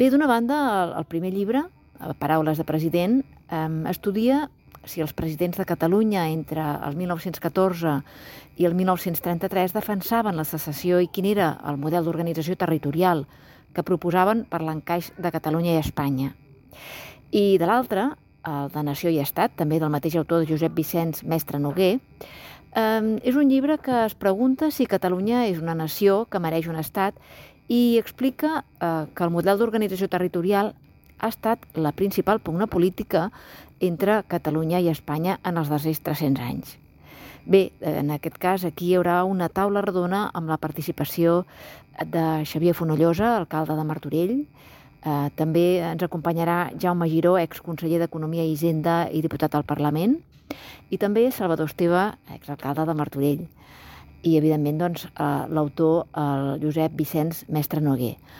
Bé, d'una banda, el primer llibre, Paraules de president, estudia si els presidents de Catalunya entre el 1914 i el 1933 defensaven la secessió i quin era el model d'organització territorial que proposaven per l'encaix de Catalunya i Espanya. I de l'altre, el de Nació i Estat, també del mateix autor de Josep Vicenç Mestre Noguer, és un llibre que es pregunta si Catalunya és una nació que mereix un estat i explica que el model d'organització territorial ha estat la principal pugna política entre Catalunya i Espanya en els darrers 300 anys. Bé, en aquest cas aquí hi haurà una taula redona amb la participació de Xavier Fonollosa, alcalde de Martorell. També ens acompanyarà Jaume Giró, exconseller d'Economia i Hisenda i diputat al Parlament, i també Salvador Esteve, exalcalde de Martorell. I, evidentment, l'autor, el Josep Vicenç Mestre Noguer.